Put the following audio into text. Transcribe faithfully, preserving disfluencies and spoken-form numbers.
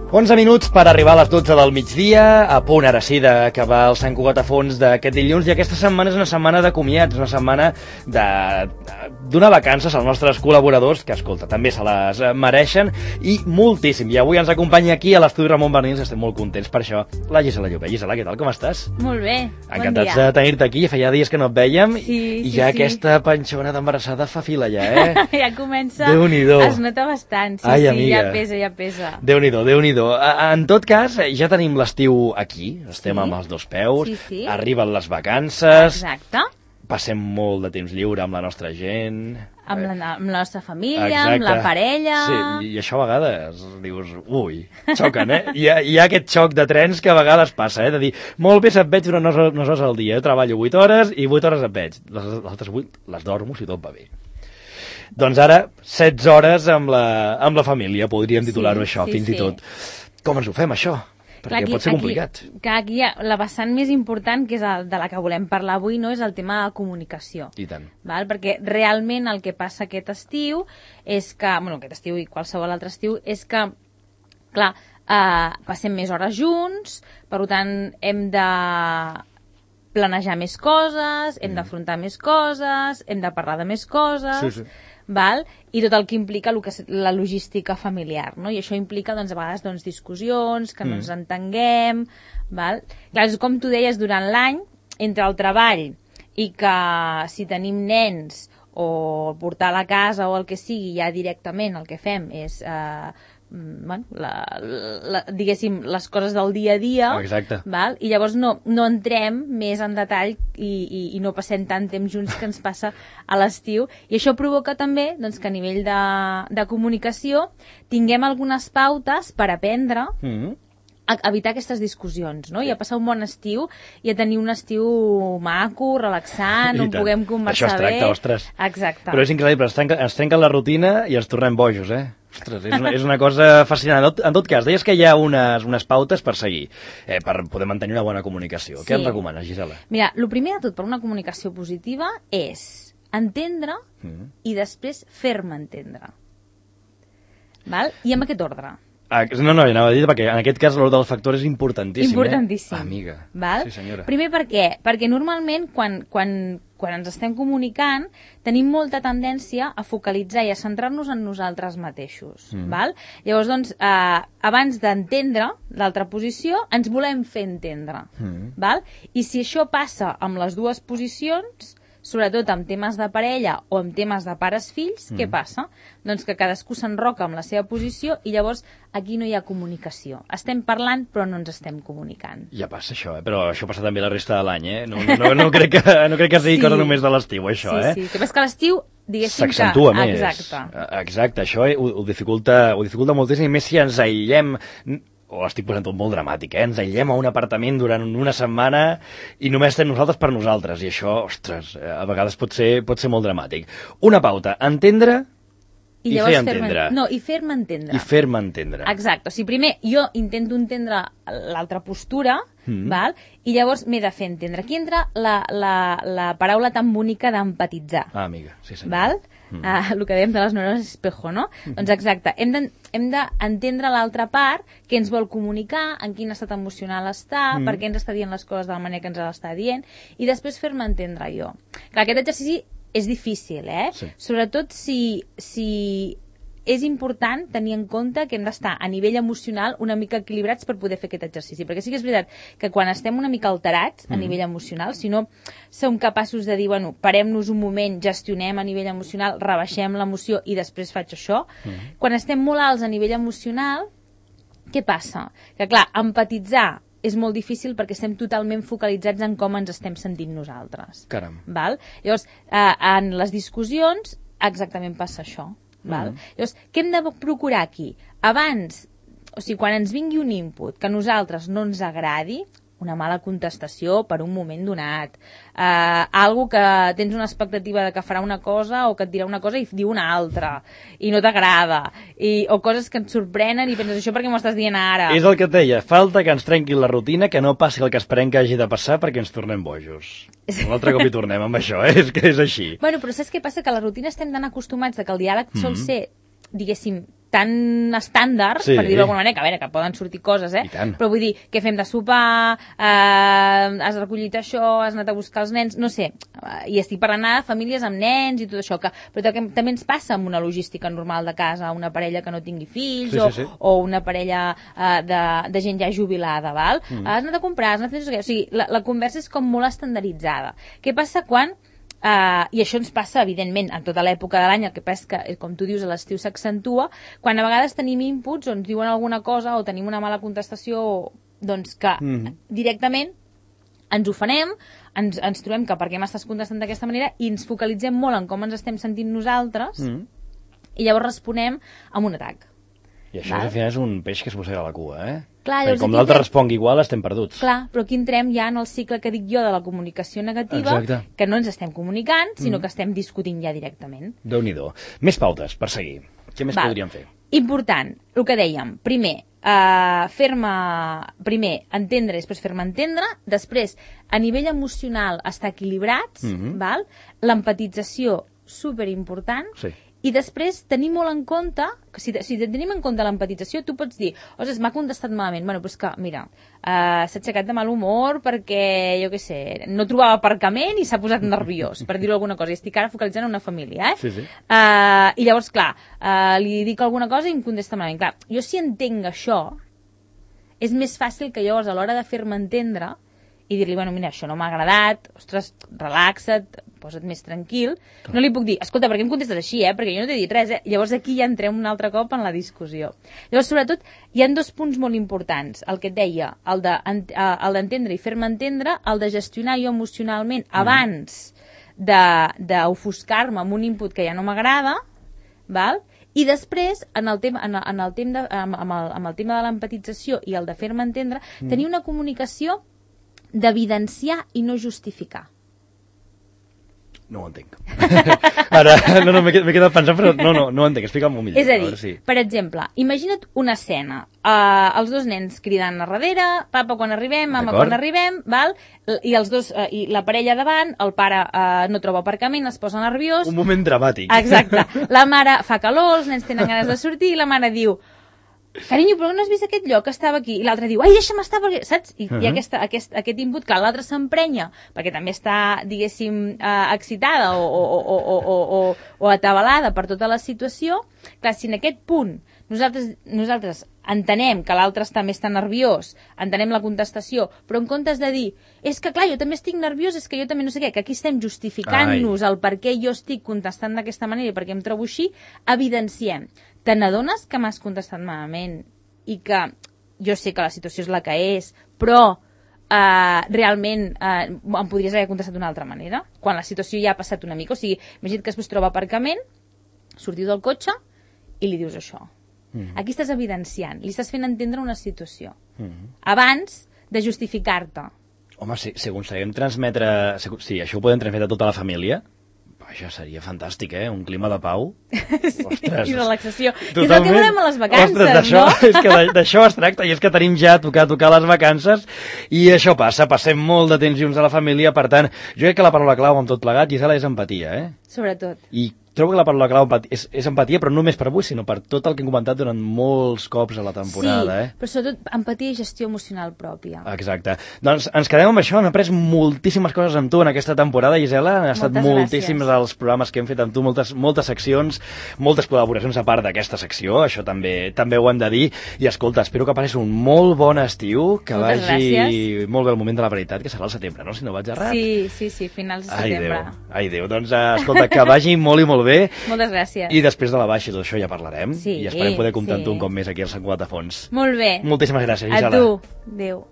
onze minuts per arribar a les dotze del migdia, a punt ara sí d'acabar el Sant Cugat a fons d'aquest dilluns, i aquesta setmana és una setmana de comiats, una setmana de donar vacances als nostres col·laboradors, que, escolta, també se les mereixen, i moltíssim. I avui ens acompanya aquí a l'estudi Ramon Bernils, estem molt contents per això, la Gisela Llobé. Gisela, què tal, com estàs? Molt bé, Encantats bon dia. de tenir-te aquí, feia dies que no et vèiem, sí, i sí, ja sí. aquesta panxona d'embarassada fa fila ja, eh? Ja comença, Déu-n'hi-do. Es nota bastant, sí, Ai, sí, amiga. ja pesa, ja pesa. Déu-n'hi-do, Déu-n'hi-do. En tot cas, ja tenim l'estiu aquí, estem Sí. amb els dos peus, Sí, sí. arriben les vacances, Exacte. passem molt de temps lliure amb la nostra gent. Amb la, amb la nostra família, Exacte. amb la parella... Sí, i això a vegades dius, ui, xoquen, eh? Hi ha, hi ha aquest xoc de trens que a vegades passa, eh? De dir, molt bé se't veig durant unes hores al dia, jo treballo vuit hores i vuit hores et veig. Les, les altres vuit les dormo si tot va bé. Doncs ara, setze hores amb la, amb la família, podríem titular-ho Sí, això, sí, fins sí. i tot. Com ens ho fem, això? Perquè Clar, pot ser complicat. Aquí, que aquí hi ha la vessant més important, que és el, de la que volem parlar avui, no és el tema de comunicació. I tant. Val? Perquè realment el que passa aquest estiu és que, bueno, aquest estiu i qualsevol altre estiu, és que, clar, eh, passem més hores junts, per tant hem de planejar més coses, hem d'afrontar més coses, hem de parlar de més coses... Sí, sí. Val? I tot el que implica el que és la logística familiar, no? I això implica, doncs, a vegades, doncs, discussions, que no ens entenguem, val? Clar, és com tu deies, durant l'any, entre el treball i que si tenim nens o portar a la casa o el que sigui, ja directament el que fem és... Eh, bueno, la, la, diguéssim, les coses del dia a dia, Exacte. val? I llavors no, no entrem més en detall i, i, i no passem tant temps junts que ens passa a l'estiu, i això provoca també, doncs, que a nivell de, de comunicació tinguem algunes pautes per aprendre Mm-hmm. a evitar aquestes discussions, no? I a passar un bon estiu i a tenir un estiu maco, relaxant, I on tant. puguem conversar D'això es tracta, bé. ostres. Exacte. Però és increïble, es trenca, es trenca la rutina i ens tornem bojos, eh? Ostres, és una, és una cosa fascinant. En tot, en tot cas, deies que hi ha unes, unes pautes per seguir, eh, per poder mantenir una bona comunicació. Sí. Què em recomanes, Gisela? Mira, el primer de tot per una comunicació positiva és entendre Mm. i després fer-me entendre. Val? I amb aquest ordre. Ah, no, no, anava a dir, perquè en aquest cas l'ordre del factor és importantíssim, Importantíssim. eh? Amiga. Val? Sí, senyora. Primer per què? Perquè normalment quan, quan, quan ens estem comunicant tenim molta tendència a focalitzar i a centrar-nos en nosaltres mateixos. Mm. Val? Llavors, doncs, eh, abans d'entendre l'altra posició, ens volem fer entendre. Mm. Val? I si això passa amb les dues posicions, sobretot amb temes de parella o amb temes de pares-fills, mm. què passa? Doncs que cadascú s'enroca amb la seva posició i llavors aquí no hi ha comunicació. Estem parlant però no ens estem comunicant. Ja passa això, eh? Però això passa també la resta de l'any, eh? No, no, no, no, crec que, no crec que sigui Sí. cosa només de l'estiu, això, sí, eh? Sí, sí. Que passa que l'estiu, diguéssim que... S'accentua més. Exacte. Exacte, això eh, ho, ho, dificulta, ho dificulta moltíssim, i més si ens aïllem... o estic posant tot molt dramàtic, eh? Ens aïllem a un apartament durant una setmana i només estem nosaltres per nosaltres, i això, ostres, a vegades pot ser, pot ser molt dramàtic. Una pauta, entendre i, i fer entendre. No, i fer-me entendre. I fer-me entendre. Exacte. O sigui, primer jo intento entendre l'altra postura, Mm. val? I llavors m'he de fer entendre. Aquí entra la, la, la paraula tan bonica d'empatitzar. Ah, amiga, sí senyor. Val? Mm. Ah, el que dèiem de les neurones espejo, no? Mm. Doncs exacte, hem de- hem d'entendre l'altra part, què ens vol comunicar, en quin estat emocional està, Mm. per què ens està dient les coses de la manera que ens les està dient, i després fer-me entendre jo. Clar, aquest exercici és difícil, eh? Sí. Sobretot si, si és important tenir en compte que hem d'estar a nivell emocional una mica equilibrats per poder fer aquest exercici, perquè sí que és veritat que quan estem una mica alterats a Mm. nivell emocional, si no som capaços de dir, bueno, parem-nos un moment, gestionem a nivell emocional, rebaixem l'emoció i després faig això, Mm. quan estem molt alts a nivell emocional, què passa? Que clar, empatitzar és molt difícil perquè estem totalment focalitzats en com ens estem sentint nosaltres. Caram. Val? Llavors, eh, en les discussions exactament passa això. Val? Mhm. Llavors, què hem de procurar aquí? Abans, o sigui, quan ens vingui un input que a nosaltres no ens agradi, una mala contestació per un moment donat, eh, algo que tens una expectativa de que farà una cosa o que et dirà una cosa i diu una altra i no t'agrada, i, o coses que et sorprenen i penses això perquè m'ho estàs dient ara. És el que et deia, falta que ens trenquin la rutina, que no passi el que esperem que hagi de passar perquè ens tornem bojos. Un altre cop hi tornem amb això, eh? És que és així. Bueno, però saps què passa? Que a la rutina estem tan acostumats de que el diàleg sol Mhm. ser, diguéssim, tan estàndard, sí. per dir-ho d'alguna manera, que a veure, que poden sortir coses, eh? Però vull dir, què fem de sopar, eh, has recollit això, has anat a buscar els nens, no sé, i estic parlant de famílies amb nens i tot això, que, però que també ens passa amb una logística normal de casa, una parella que no tingui fills, sí, o, sí, sí. o una parella eh, de, de gent ja jubilada, val? Mm. Has anat a comprar, has anat a fer això, o sigui, la, la conversa és com molt estandarditzada. Què passa quan Uh, i això ens passa, evidentment, en tota l'època de l'any, el que passa és que, com tu dius, a l'estiu s'accentua, quan a vegades tenim inputs o ens diuen alguna cosa o tenim una mala contestació, doncs que mm. directament ens ofenem, ens, ens trobem que per què m'estàs contestant d'aquesta manera i ens focalitzem molt en com ens estem sentint nosaltres mm. i llavors responem amb un atac. I això al final és un peix que es mossega la cua, eh? Clar, perquè com l'altre entrem... respongui igual, estem perduts. Clar, però aquí entrem ja en el cicle que dic jo de la comunicació negativa, exacte. Que no ens estem comunicant, sinó mm. que estem discutint ja directament. Déu-n'hi-do. Més pautes, per seguir. Què més Val. Podríem fer? Important, el que dèiem. Primer, uh, fer-me... Primer, entendre, després fer-me entendre. Després, a nivell emocional, estar equilibrats, mm-hmm. val? L'empatització, superimportant. Sí. I després tenir molt en compte, que si, si tenim en compte l'empatització, tu pots dir, ostres, m'ha contestat malament. Bueno, però és que, mira, uh, s'ha aixecat de mal humor perquè, jo què sé, no trobava aparcament i s'ha posat nerviós, per dir-ho alguna cosa. I estic ara focalitzant en una família, eh? Sí, sí. Uh, I llavors, clar, uh, li dic alguna cosa i em contesta malament. Clar, jo si entenc això, és més fàcil que llavors, a l'hora de fer-me entendre, i dir-li, bueno, mira, això no m'ha agradat, ostres, relaxa't, posa't més tranquil. Clar. No li puc dir, escolta, per què em contestes així, eh? Perquè jo no t'he dit res, eh? Llavors aquí ja entrem un altre cop en la discussió. Llavors, sobretot, hi ha dos punts molt importants. El que et deia, el d'entendre i fer-me entendre, el de gestionar jo emocionalment mm. abans d'ofuscar-me amb un input que ja no m'agrada, val? I després, en el tema, en el, en el tema de, amb, el, amb el tema de l'empatització i el de fer-me entendre, mm. tenir una comunicació d'evidenciar i no justificar. No ho entenc. Ara, no, no, m'he quedat pensant, però no, no, no ho entenc, explica'm-ho millor. És a dir, a si... per exemple, imagina't una escena, uh, els dos nens cridant a darrere, papa quan arribem, mama quan arribem, val? I els dos, uh, i la parella davant, el pare uh, no troba aparcament, es posa nerviós. Un moment dramàtic. Exacte. La mare fa calor, els nens tenen ganes de sortir, i la mare diu, carinyo, però no has vist aquest lloc que estava aquí? I l'altre diu, ai, deixa'm estar, perquè... saps? I, uh-huh. i aquesta, aquest, aquest input, clar, l'altre s'emprenya, perquè també està, diguéssim, eh, excitada o, o, o, o, o, o, o atabalada per tota la situació. Clar, si en aquest punt nosaltres, nosaltres entenem que l'altre està més tan nerviós, entenem la contestació, però en comptes de dir, és que clar, jo també estic nerviós, és que jo també no sé què, que aquí estem justificant-nos el per què jo estic contestant d'aquesta manera i per què em trobo així, evidenciem. Te n'adones que m'has contestat malament i que jo sé que la situació és la que és, però eh, realment eh, em podries haver contestat d'una altra manera, quan la situació ja ha passat una mica. O sigui, imagina't que després troba aparcament, sortiu del cotxe i li dius això. Mm-hmm. Aquí estàs evidenciant, li estàs fent entendre una situació. Mm-hmm. Abans de justificar-te. Home, si, si aconseguim transmetre... Si, si això ho podem transmetre a tota la família... Això seria fantàstic, eh? Un clima de pau. Sí, ostres, i relaxació. Totalment. I és el que volem a les vacances, ostres, no? És que d'això es tracta, i és que tenim ja a tocar, a tocar les vacances, i això passa, passem molt de temps junts a la família, per tant, jo crec que la paraula clau amb tot plegat, Gisela, és empatia, eh? Sobretot. I trobo que la paraula clau és, és empatia, però no només per avui, sinó per tot el que hem comentat durant molts cops a la temporada. Sí, eh? però sobretot empatia i gestió emocional pròpia. Exacte. Doncs ens quedem amb això, hem après moltíssimes coses amb tu en aquesta temporada, Gisela. Han estat moltes moltíssims gràcies. Els programes que hem fet amb tu, moltes, moltes seccions, moltes col·laboracions a part d'aquesta secció, això també també ho hem de dir. I escolta, espero que passis un molt bon estiu, que moltes vagi gràcies. Molt bé el moment de la veritat, que serà al setembre, no? Si no vaig errat. Sí, sí, sí, finals de setembre. Ai, Déu, ai, Déu. Doncs escolta, que vagi molt i molt bé. Moltes gràcies. I després de la baixa i tot això ja parlarem. Sí, i esperem poder comptar sí. amb tu un cop més aquí al Sant Cugat de Fons. Molt bé. Moltíssimes gràcies, Gisela. A tu. Adéu.